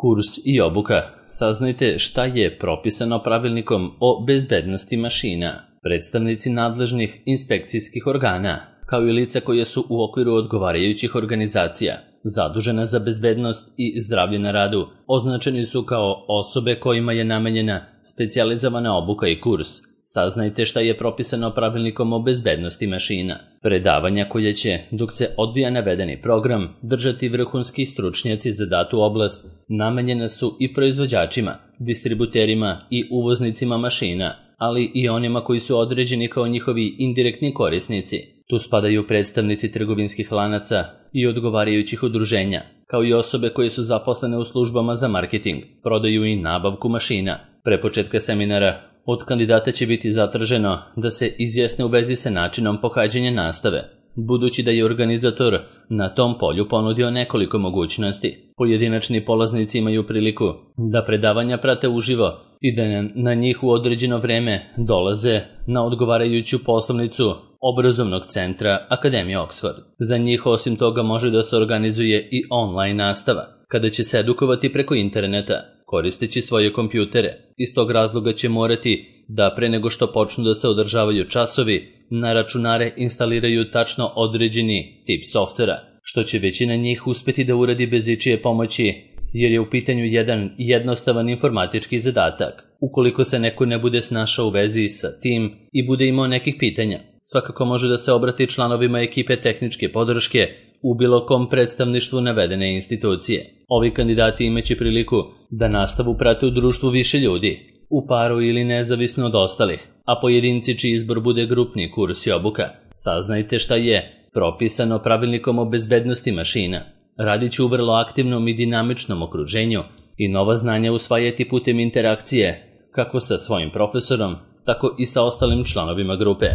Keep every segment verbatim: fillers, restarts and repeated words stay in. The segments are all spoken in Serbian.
Kurs i obuka. Saznajte šta je propisano pravilnikom o bezbednosti mašina. Predstavnici nadležnih inspekcijskih organa, kao i lica koje su u okviru odgovarajućih organizacija zadužena za bezbednost i zdravlje na radu, označeni su kao osobe kojima je namenjena specijalizovana obuka i kurs. Saznajte šta je propisano pravilnikom o bezbednosti mašina. Predavanja koje će, dok se odvija navedeni program, držati vrhunski stručnjaci za datu oblast, namenjena su i proizvođačima, distributerima i uvoznicima mašina, ali i onima koji su određeni kao njihovi indirektni korisnici. Tu spadaju predstavnici trgovinskih lanaca i odgovarajućih udruženja, kao i osobe koje su zaposlene u službama za marketing, prodaju i nabavku mašina. Pre početka seminara od kandidata će biti zatraženo da se izjasne u vezi sa načinom pohađanja nastave, budući da je organizator na tom polju ponudio nekoliko mogućnosti. Pojedinačni polaznici imaju priliku da predavanja prate uživo i da na njih u određeno vreme dolaze na odgovarajuću poslovnicu obrazovnog centra Akademije Oxford. Za njih osim toga može da se organizuje i online nastava, kada će se edukovati preko interneta, koristeći svoje kompjutere. Iz tog razloga će morati da pre nego što počnu da se održavaju časovi, na računare instaliraju tačno određeni tip softvera, što će većina njih uspeti da uradi bez ičije pomoći, jer je u pitanju jedan jednostavan informatički zadatak. Ukoliko se neko ne bude snašao u vezi sa tim i bude imao nekih pitanja, svakako može da se obrati članovima ekipe tehničke podrške u bilo kom predstavništvu navedene institucije. Ovi kandidati imaće priliku da nastavu prate u društvu više ljudi, u paru ili nezavisno od ostalih, a pojedinci čiji izbor bude grupni kurs i obuka. Saznajte šta je propisano pravilnikom o bezbednosti mašina. Radit će u vrlo aktivnom i dinamičnom okruženju i nova znanja usvajati putem interakcije, kako sa svojim profesorom, tako i sa ostalim članovima grupe.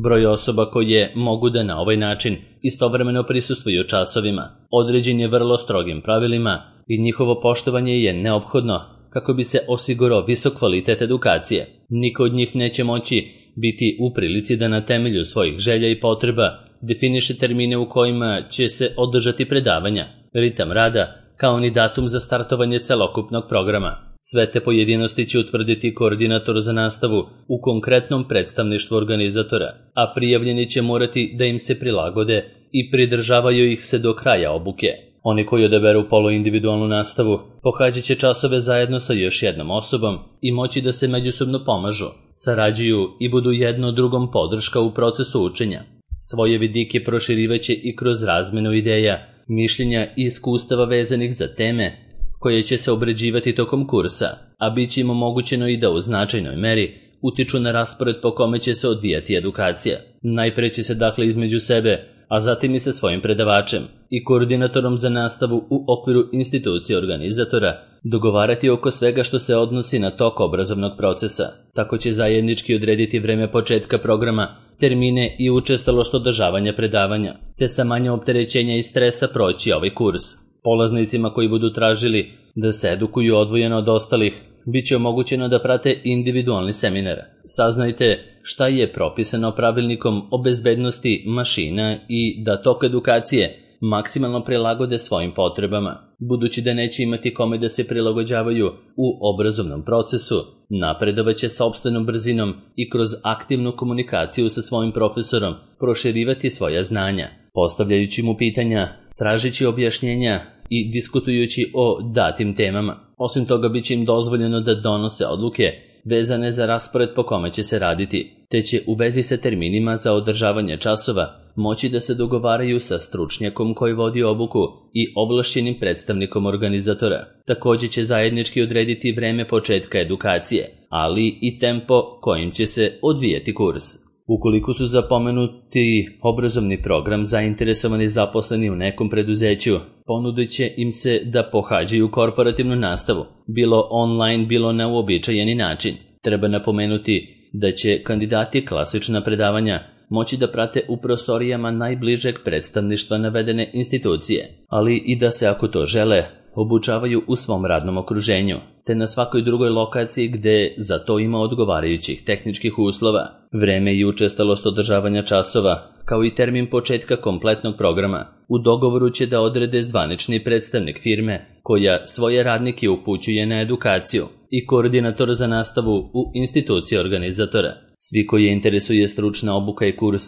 Broj osoba koje mogu da na ovaj način istovremeno prisustvuju časovima određen je vrlo strogim pravilima i njihovo poštovanje je neophodno kako bi se osigurao visok kvalitet edukacije. Niko od njih neće moći biti u prilici da na temelju svojih želja i potreba definiše termine u kojima će se održati predavanja, ritam rada, kao ni datum za startovanje celokupnog programa. Sve te pojedinosti će utvrditi koordinator za nastavu u konkretnom predstavništvu organizatora, a prijavljeni će morati da im se prilagode i pridržavaju ih se do kraja obuke. Oni koji odaberu poluindividualnu nastavu pohađat će časove zajedno sa još jednom osobom i moći da se međusobno pomažu, sarađuju i budu jedno drugom podrška u procesu učenja. Svoje vidike proširivaće i kroz razmenu ideja, mišljenja i iskustava vezanih za teme koje će se obrađivati tokom kursa, a bit će im omogućeno i da u značajnoj meri utiču na raspored po kome će se odvijati edukacija. Najpre će se dakle između sebe, a zatim i sa svojim predavačem i koordinatorom za nastavu u okviru institucije organizatora dogovarati oko svega što se odnosi na tok obrazovnog procesa. Tako će zajednički odrediti vreme početka programa, termine i učestalost održavanja predavanja, te sa manje opterećenja i stresa proći ovaj kurs. Polaznicima koji budu tražili da se edukuju odvojeno od ostalih, bit će omogućeno da prate individualni seminar. Saznajte šta je propisano pravilnikom o bezbednosti mašina i da tok edukacije maksimalno prilagode svojim potrebama. Budući da neće imati kome da se prilagođavaju u obrazovnom procesu, napredovaće sopstvenom brzinom i kroz aktivnu komunikaciju sa svojim profesorom proširivati svoja znanja, postavljajući mu pitanja, tražići objašnjenja i diskutujući o datim temama. Osim toga, bit će im dozvoljeno da donose odluke vezane za raspored po kome će se raditi, te će u vezi sa terminima za održavanje časova moći da se dogovaraju sa stručnjakom koji vodi obuku i ovlašćenim predstavnikom organizatora. Također će zajednički odrediti vreme početka edukacije, ali i tempo kojim će se odvijati kurs. Ukoliko su za pomenuti obrazovni program zainteresovani zaposleni u nekom preduzeću, ponudit će im se da pohađaju korporativnu nastavu, bilo online, bilo na uobičajeni način. Treba napomenuti da će kandidati klasična predavanja moći da prate u prostorijama najbližeg predstavništva navedene institucije, ali i da se, ako to žele, obučavaju u svom radnom okruženju, te na svakoj drugoj lokaciji gde za to ima odgovarajućih tehničkih uslova. Vreme i učestalost održavanja časova, kao i termin početka kompletnog programa, u dogovoru će da odrede zvanični predstavnik firme koja svoje radnike upućuje na edukaciju i koordinator za nastavu u instituciji organizatora. Svi koji je interesuje stručna obuka i kurs,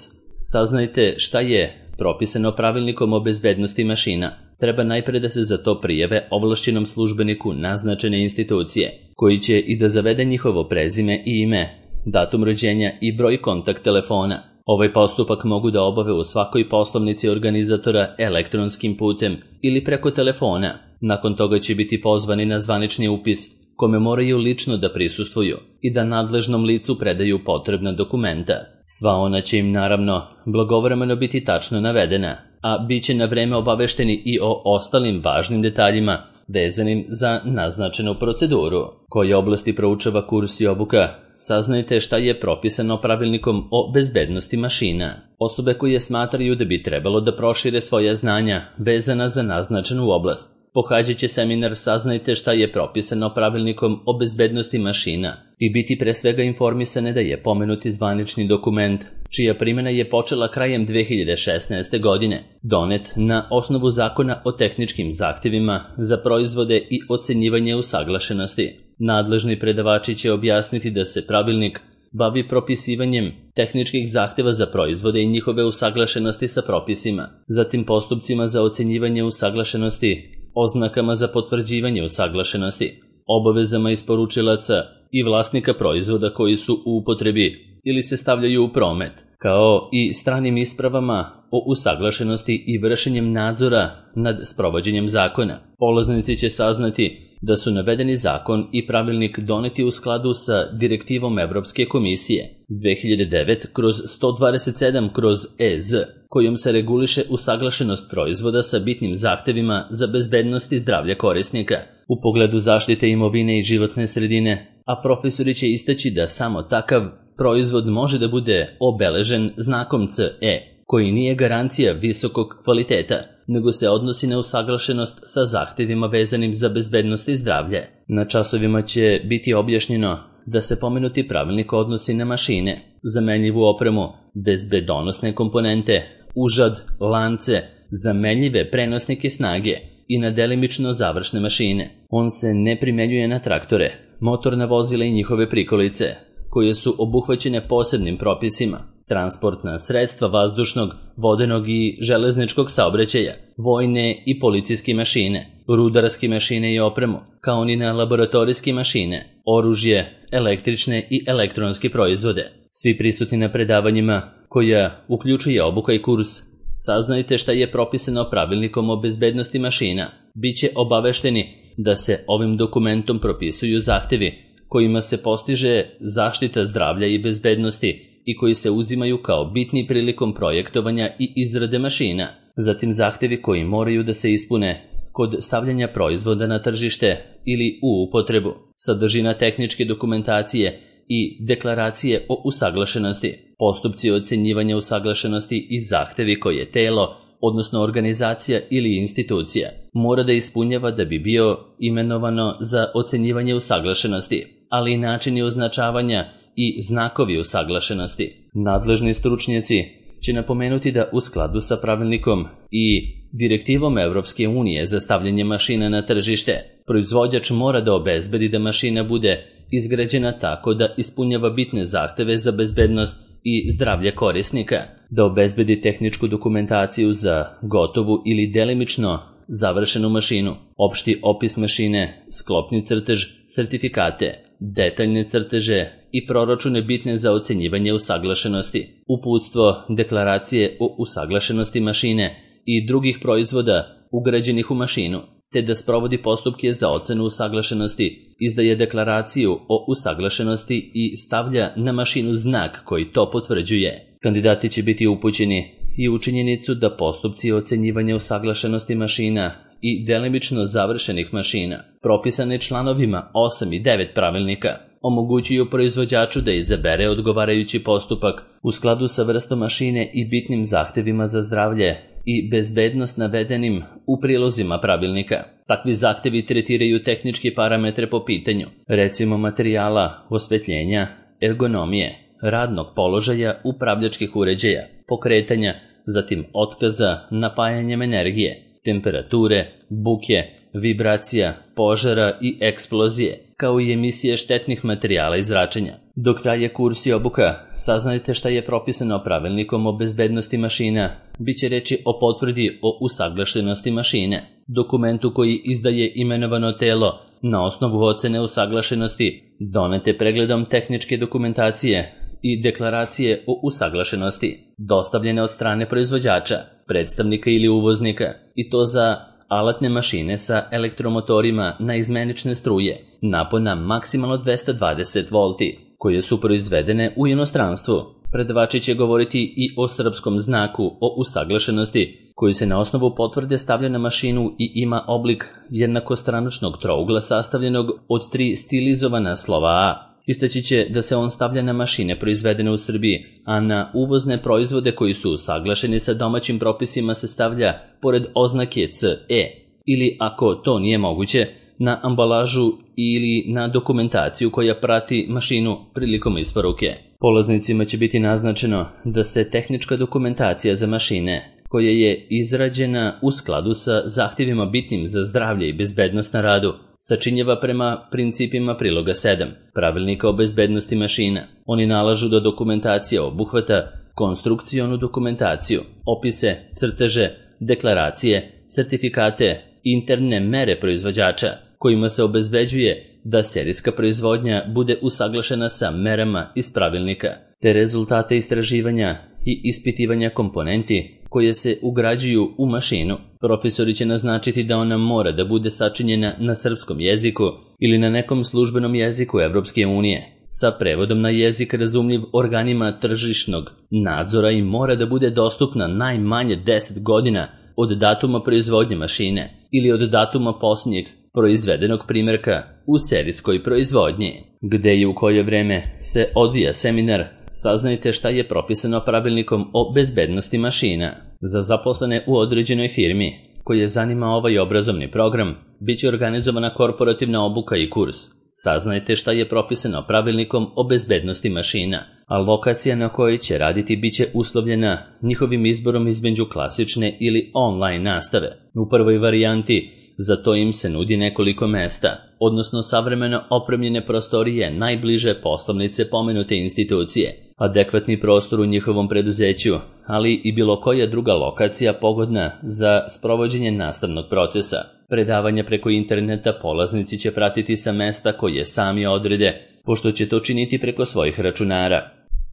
saznajte šta je propisano pravilnikom o bezbednosti mašina. Treba najpre da se za to prijave ovlašćenom službeniku naznačene institucije, koji će i da zavede njihovo prezime i ime, datum rođenja i broj kontakt telefona. Ovaj postupak mogu da obave u svakoj poslovnici organizatora elektronskim putem ili preko telefona. Nakon toga će biti pozvani na zvanični upis, kome moraju lično da prisustvuju i da nadležnom licu predaju potrebna dokumenta. Sva ona će im naravno blagovremeno biti tačno navedena, a bit će na vreme obavešteni i o ostalim važnim detaljima vezanim za naznačenu proceduru. Koje oblasti proučava kurs i obuka? Saznajte šta je propisano pravilnikom o bezbednosti mašina. Osobe koje smatraju da bi trebalo da prošire svoja znanja vezana za naznačenu oblast, pohađat će seminar Saznajte šta je propisano pravilnikom o bezbednosti mašina i biti pre svega informisane da je pomenuti zvanični dokument, čija primjena je počela krajem dve hiljade šesnaeste. godine, donet na osnovu Zakona o tehničkim zahtevima za proizvode i ocenjivanje usaglašenosti. Nadležni predavači će objasniti da se pravilnik bavi propisivanjem tehničkih zahteva za proizvode i njihove usaglašenosti sa propisima, zatim postupcima za ocenjivanje usaglašenosti, oznakama za potvrđivanje usaglašenosti, obavezama isporučilaca i vlasnika proizvoda koji su u upotrebi ili se stavljaju u promet, kao i stranim ispravama o usaglašenosti i vršenjem nadzora nad sprovođenjem zakona. Polaznici će saznati da su navedeni zakon i pravilnik doneti u skladu sa direktivom Evropske komisije dve hiljade devet sto dvadeset sedam E Z, kojom se reguliše usaglašenost proizvoda sa bitnim zahtevima za bezbednost i zdravlje korisnika u pogledu zaštite imovine i životne sredine, a profesori će istaći da samo takav proizvod može da bude obeležen znakom C E, koji nije garancija visokog kvaliteta, nego se odnosi na usaglašenost sa zahtevima vezanim za bezbednost i zdravlje. Na časovima će biti objašnjeno da se pomenuti pravilnik odnosi na mašine, zamenljivu opremu, bezbedonosne komponente, užad, lance, zamenljive prenosnike snage i na delimično završne mašine. On se ne primenjuje na traktore, motorna vozila i njihove prikolice, koje su obuhvaćene posebnim propisima, transportna sredstva vazdušnog, vodenog i železničkog saobraćaja, vojne i policijske mašine, rudarske mašine i opremu, kao ni na laboratorijske mašine, oružje, električne i elektronske proizvode. Svi prisutni na predavanjima, koja uključuje obuka i kurs, saznajte šta je propisano pravilnikom o bezbednosti mašina, bit će obavešteni da se ovim dokumentom propisuju zahtevi kojima se postiže zaštita zdravlja i bezbednosti i koji se uzimaju kao bitni prilikom projektovanja i izrade mašina, zatim zahtevi koji moraju da se ispune kod stavljanja proizvoda na tržište ili u upotrebu, sadržina tehničke dokumentacije i deklaracije o usaglašenosti, postupci ocenjivanja usaglašenosti i zahtevi koje telo, odnosno organizacija ili institucija, mora da ispunjava da bi bio imenovano za ocenjivanje usaglašenosti, ali i načini označavanja i znakovi usaglašenosti. Nadležni stručnjaci će napomenuti da u skladu sa pravilnikom i direktivom Evropske unije za stavljanje mašina na tržište, proizvođač mora da obezbedi da mašina bude izgrađena tako da ispunjava bitne zahteve za bezbednost i zdravlje korisnika, da obezbedi tehničku dokumentaciju za gotovu ili delimično završenu mašinu, opšti opis mašine, sklopni crtež, sertifikate, detaljne crteže i proračune bitne za ocenjivanje usaglašenosti, uputstvo, deklaracije o usaglašenosti mašine i drugih proizvoda ugrađenih u mašinu, te da sprovodi postupke za ocenu usaglašenosti, izdaje deklaraciju o usaglašenosti i stavlja na mašinu znak koji to potvrđuje. Kandidati će biti upućeni i u činjenicu da postupci ocenjivanja usaglašenosti mašina i delimično završenih mašina, propisane članovima osam i devet pravilnika, omogućuju proizvođaču da izabere odgovarajući postupak u skladu sa vrstom mašine i bitnim zahtevima za zdravlje i bezbednost navedenim u prilozima pravilnika. Takvi zahtevi tretiraju tehničke parametre po pitanju, recimo materijala, osvetljenja, ergonomije, radnog položaja upravljačkih uređaja, pokretanja, zatim otkaza, napajanjem energije, temperature, buke, vibracija, požara i eksplozije, kao i emisije štetnih materijala i zračenja. Dok traje kurs i obuka, saznajte šta je propisano pravilnikom o bezbednosti mašina. Biće reči o potvrdi o usaglašenosti mašine, dokumentu koji izdaje imenovano telo na osnovu ocene usaglašenosti, donete pregledom tehničke dokumentacije i deklaracije o usaglašenosti, dostavljene od strane proizvođača, predstavnika ili uvoznika, i to za alatne mašine sa elektromotorima na izmenične struje, napona maksimalno dvesta dvadeset volti, koje su proizvedene u inostranstvu. Predavači će govoriti i o srpskom znaku o usaglašenosti, koji se na osnovu potvrde stavlja na mašinu i ima oblik jednakostranačnog trougla sastavljenog od tri stilizovana slova A. Istaći će da se on stavlja na mašine proizvedene u Srbiji, a na uvozne proizvode koji su usaglašeni sa domaćim propisima se stavlja pored oznake C E, ili ako to nije moguće, na ambalažu ili na dokumentaciju koja prati mašinu prilikom isporuke. Polaznicima će biti naznačeno da se tehnička dokumentacija za mašine, koja je izrađena u skladu sa zahtjevima bitnim za zdravlje i bezbednost na radu, sačinjava prema principima priloga sedam Pravilnika o bezbednosti mašina. Oni nalažu da dokumentacija obuhvata konstrukcionu dokumentaciju, opise, crteže, deklaracije, sertifikate, interne mere proizvođača, kojima se obezbeđuje da serijska proizvodnja bude usaglašena sa merama iz pravilnika, te rezultate istraživanja i ispitivanja komponenti koje se ugrađuju u mašinu. Profesori će naznačiti da ona mora da bude sačinjena na srpskom jeziku ili na nekom službenom jeziku Evropske unije, sa prevodom na jezik razumljiv organima tržišnog nadzora i mora da bude dostupna najmanje deset godina od datuma proizvodnje mašine ili od datuma posljednjeg proizvedenog primjerka u serijskoj proizvodnji. Gde i u koje vreme se odvija seminar, saznajte šta je propisano pravilnikom o bezbednosti mašina. Za zaposlene u određenoj firmi koje zanima ovaj obrazovni program, bit će organizovana korporativna obuka i kurs. Saznajte šta je propisano pravilnikom o bezbednosti mašina, a lokacija na kojoj će raditi bit će uslovljena njihovim izborom između klasične ili online nastave. U prvoj varijanti za to im se nudi nekoliko mesta, odnosno savremeno opremljene prostorije najbliže poslovnice pomenute institucije, adekvatni prostor u njihovom preduzeću, ali i bilo koja druga lokacija pogodna za sprovođenje nastavnog procesa. Predavanja preko interneta polaznici će pratiti sa mesta koje sami odrede, pošto će to činiti preko svojih računara.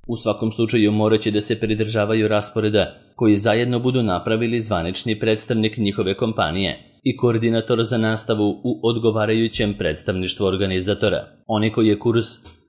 U svakom slučaju morat će da se pridržavaju rasporeda koji zajedno budu napravili zvanični predstavnik njihove kompanije i koordinator za nastavu u odgovarajućem predstavništvu organizatora. Oni koji kurs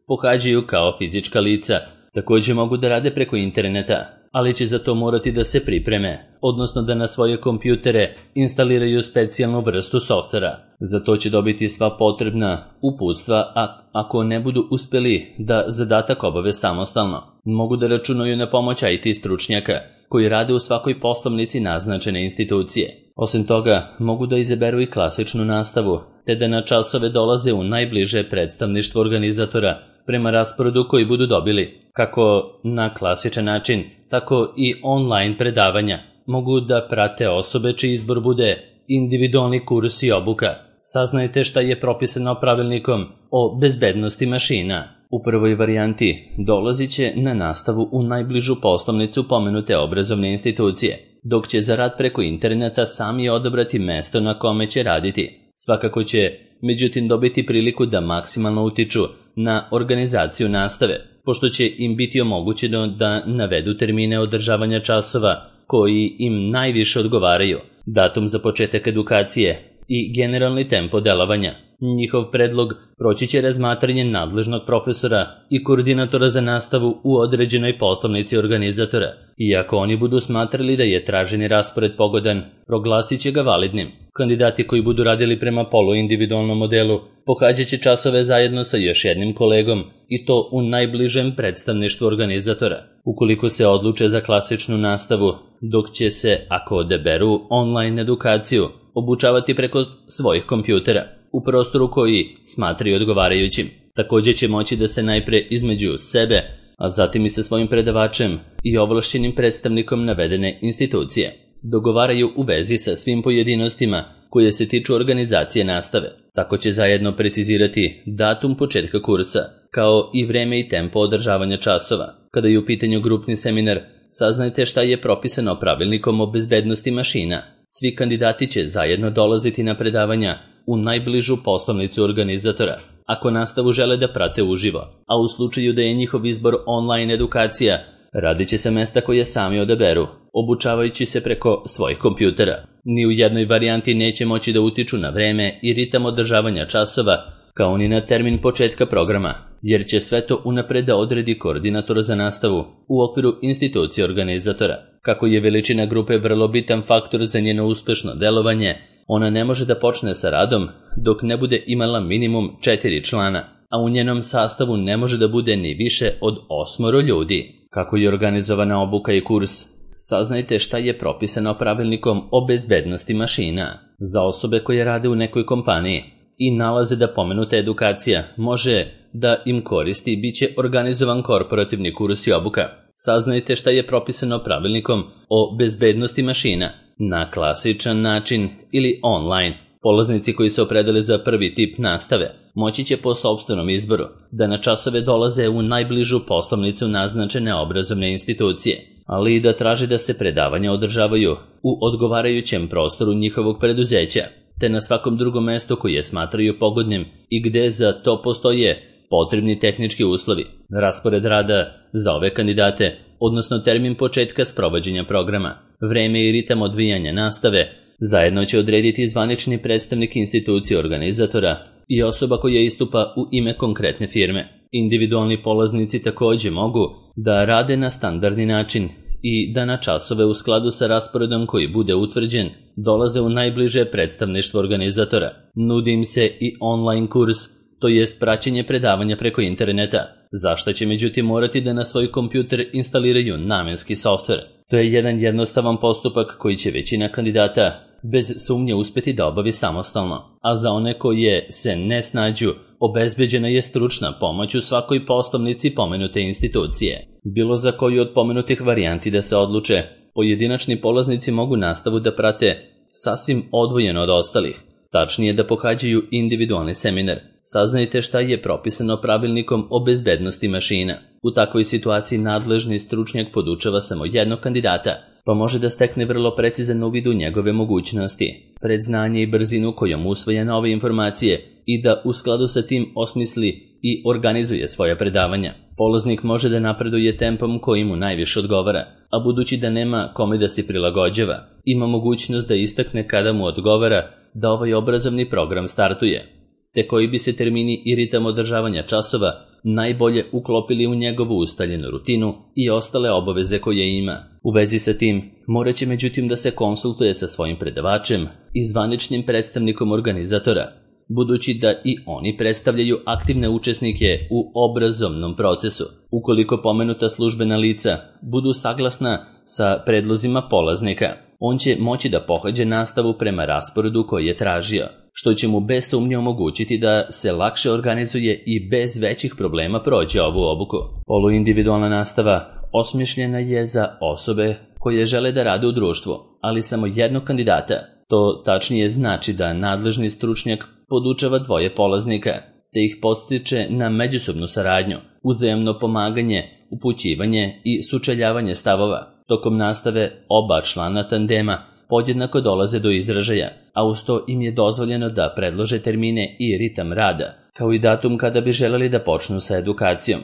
pohađaju kao fizička lica također mogu da rade preko interneta, ali će za to morati da se pripreme, odnosno da na svoje kompjutere instaliraju specijalnu vrstu softvera. Za to će dobiti sva potrebna uputstva, a ako ne budu uspeli da zadatak obave samostalno, mogu da računaju na pomoć I T stručnjaka koji rade u svakoj poslovnici naznačene institucije. Osim toga, mogu da izaberu i klasičnu nastavu, te da na časove dolaze u najbliže predstavništvo organizatora prema rasporedu koji budu dobili, kako na klasičan način, tako i online predavanja. Mogu da prate osobe čiji izbor bude individualni kurs i obuka. Saznajte šta je propisano pravilnikom o bezbednosti mašina. U prvoj varijanti dolazit će na nastavu u najbližu poslovnicu pomenute obrazovne institucije, dok će za rad preko interneta sami odabrati mesto na kome će raditi. Svakako će, međutim, dobiti priliku da maksimalno utiču na organizaciju nastave, pošto će im biti omogućeno da navedu termine održavanja časova koji im najviše odgovaraju, datum za početak edukacije i generalni tempo delovanja. Njihov predlog proći će razmatranje nadležnog profesora i koordinatora za nastavu u određenoj poslovnici organizatora. Iako oni budu smatrali da je traženi raspored pogodan, proglasit će ga validnim. Kandidati koji budu radili prema poluindividualnom modelu pohađat će časove zajedno sa još jednim kolegom i to u najbližem predstavništvu organizatora. Ukoliko se odluče za klasičnu nastavu, dok će se, ako odaberu online edukaciju, obučavati preko svojih kompjutera u prostoru koji smatraju odgovarajućim. Također će moći da se najpre između sebe, a zatim i sa svojim predavačem i ovlašćenim predstavnikom navedene institucije dogovaraju u vezi sa svim pojedinostima koje se tiču organizacije nastave. Tako će zajedno precizirati datum početka kursa, kao i vreme i tempo održavanja časova. Kada je u pitanju grupni seminar, saznajte šta je propisano pravilnikom o bezbednosti mašina. Svi kandidati će zajedno dolaziti na predavanja u najbližu poslovnicu organizatora, ako nastavu žele da prate uživo, a u slučaju da je njihov izbor online edukacija, radit će se mesta koje sami odaberu, obučavajući se preko svojih kompjutera. Ni u jednoj varijanti neće moći da utiču na vreme i ritam održavanja časova, kao ni na termin početka programa, jer će sve to unapred da odredi koordinator za nastavu u okviru institucije organizatora. Kako je veličina grupe vrlo bitan faktor za njeno uspešno delovanje, ona ne može da počne sa radom dok ne bude imala minimum četiri člana, a u njenom sastavu ne može da bude ni više od osmoro ljudi. Kako je organizovana obuka i kurs? Saznajte šta je propisano pravilnikom o bezbednosti mašina. Za osobe koje rade u nekoj kompaniji i nalaze da pomenuta edukacija može da im koristi i bit će organizovan korporativni kurs i obuka. Saznajte šta je propisano pravilnikom o bezbednosti mašina na klasičan način ili online. Polaznici koji se opredele za prvi tip nastave moći će po sopstvenom izboru da na časove dolaze u najbližu poslovnicu naznačene obrazovne institucije, ali i da traže da se predavanja održavaju u odgovarajućem prostoru njihovog preduzeća, te na svakom drugom mestu koje smatraju pogodnim i gde za to postoje potrebni tehnički uslovi. Raspored rada za ove kandidate, odnosno termin početka sprovođenja programa, vreme i ritam odvijanja nastave, zajedno će odrediti zvanični predstavnik institucije organizatora i osoba koja istupa u ime konkretne firme. Individualni polaznici takođe mogu da rade na standardni način i da na časove u skladu sa rasporedom koji bude utvrđen dolaze u najbliže predstavništvo organizatora. Nudi im se i online kurs, to jest praćenje predavanja preko interneta, zašto će međutim morati da na svoj kompjuter instaliraju namenski softver. To je jedan jednostavan postupak koji će većina kandidata bez sumnje uspeti da obavi samostalno, a za one koje se ne snađu, obezbeđena je stručna pomoć u svakoj poslovnici pomenute institucije. Bilo za koju od pomenutih varijanti da se odluče, pojedinačni polaznici mogu nastavu da prate sasvim odvojeno od ostalih, tačnije da pohađaju individualni seminar. Saznajte šta je propisano pravilnikom o bezbednosti mašina. U takvoj situaciji nadležni stručnjak podučava samo jednog kandidata, pa može da stekne vrlo precizan uvid u njegove mogućnosti, predznanje i brzinu kojom usvaja nove informacije i da u skladu sa tim osmisli i organizuje svoje predavanja. Polaznik može da napreduje tempom koji mu najviše odgovara, a budući da nema kome da se prilagođava, ima mogućnost da istakne kada mu odgovara da ovaj obrazovni program startuje, te koji bi se termini i ritam održavanja časova najbolje uklopili u njegovu ustaljenu rutinu i ostale obaveze koje ima. U vezi sa tim, morat će međutim da se konsultuje sa svojim predavačem i zvaničnim predstavnikom organizatora, budući da i oni predstavljaju aktivne učesnike u obrazovnom procesu. Ukoliko pomenuta službena lica budu saglasna sa predlozima polaznika, on će moći da pohađa nastavu prema rasporedu koji je tražio, što će mu bez sumnje omogućiti da se lakše organizuje i bez većih problema prođe ovu obuku. Poluindividualna nastava osmišljena je za osobe koje žele da rade u društvu, ali samo jednog kandidata. To tačnije znači da nadležni stručnjak podučava dvoje polaznika, te ih podstiče na međusobnu saradnju, uzajamno pomaganje, upućivanje i sučeljavanje stavova. Tokom nastave oba člana tandema podjednako dolaze do izražaja, a uz to im je dozvoljeno da predlože termine i ritam rada, kao i datum kada bi želeli da počnu sa edukacijom.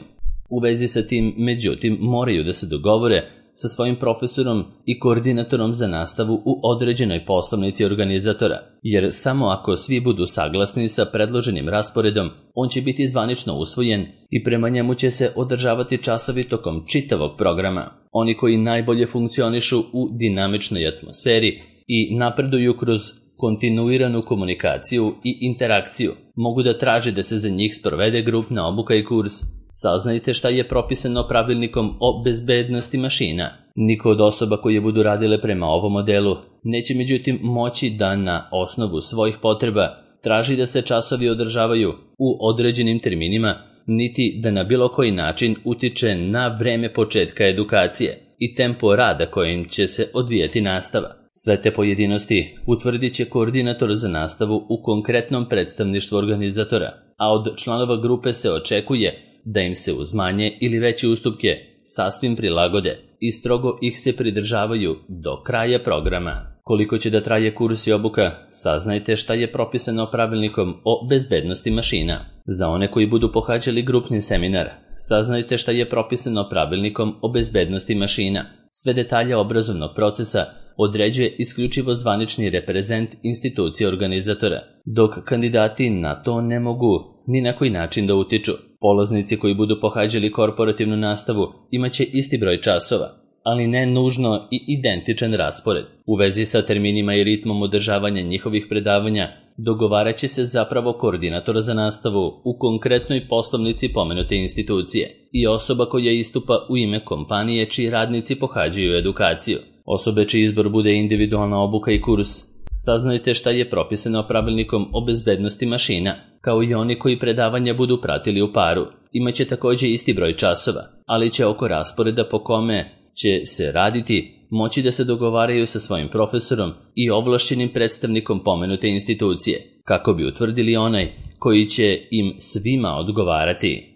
U vezi sa tim, međutim, moraju da se dogovore sa svojim profesorom i koordinatorom za nastavu u određenoj poslovnici organizatora, jer samo ako svi budu saglasni sa predloženim rasporedom, on će biti zvanično usvojen i prema njemu će se održavati časovi tokom čitavog programa. Oni koji najbolje funkcionišu u dinamičnoj atmosferi i napreduju kroz kontinuiranu komunikaciju i interakciju, mogu da traže da se za njih sprovede grupna obuka i kurs. Saznajte šta je propisano pravilnikom o bezbednosti mašina. Niko od osoba koje budu radile prema ovom modelu neće međutim moći da na osnovu svojih potreba traži da se časovi održavaju u određenim terminima, niti da na bilo koji način utiče na vreme početka edukacije i tempo rada kojim će se odvijati nastava. Sve te pojedinosti utvrdit će koordinator za nastavu u konkretnom predstavništvu organizatora, a od članova grupe se očekuje da im se uz manje ili veće ustupke sasvim prilagode i strogo ih se pridržavaju do kraja programa. Koliko će da traje kurs i obuka, saznajte šta je propisano pravilnikom o bezbednosti mašina. Za one koji budu pohađali grupni seminar, saznajte šta je propisano pravilnikom o bezbednosti mašina. Sve detalje obrazovnog procesa određuje isključivo zvanični reprezent institucije organizatora, dok kandidati na to ne mogu ni na koji način da utiču. Polaznici koji budu pohađali korporativnu nastavu imaće isti broj časova, ali ne nužno i identičan raspored. U vezi sa terminima i ritmom održavanja njihovih predavanja dogovarat će se zapravo koordinator za nastavu u konkretnoj poslovnici pomenute institucije i osoba koja istupa u ime kompanije čiji radnici pohađaju edukaciju. Osobe čiji izbor bude individualna obuka i kurs, saznajte šta je propisano pravilnikom o bezbednosti mašina, kao i oni koji predavanja budu pratili u paru. Imaće također isti broj časova, ali će oko rasporeda po kome će se raditi moći da se dogovaraju sa svojim profesorom i ovlašćenim predstavnikom pomenute institucije, kako bi utvrdili onaj koji će im svima odgovarati.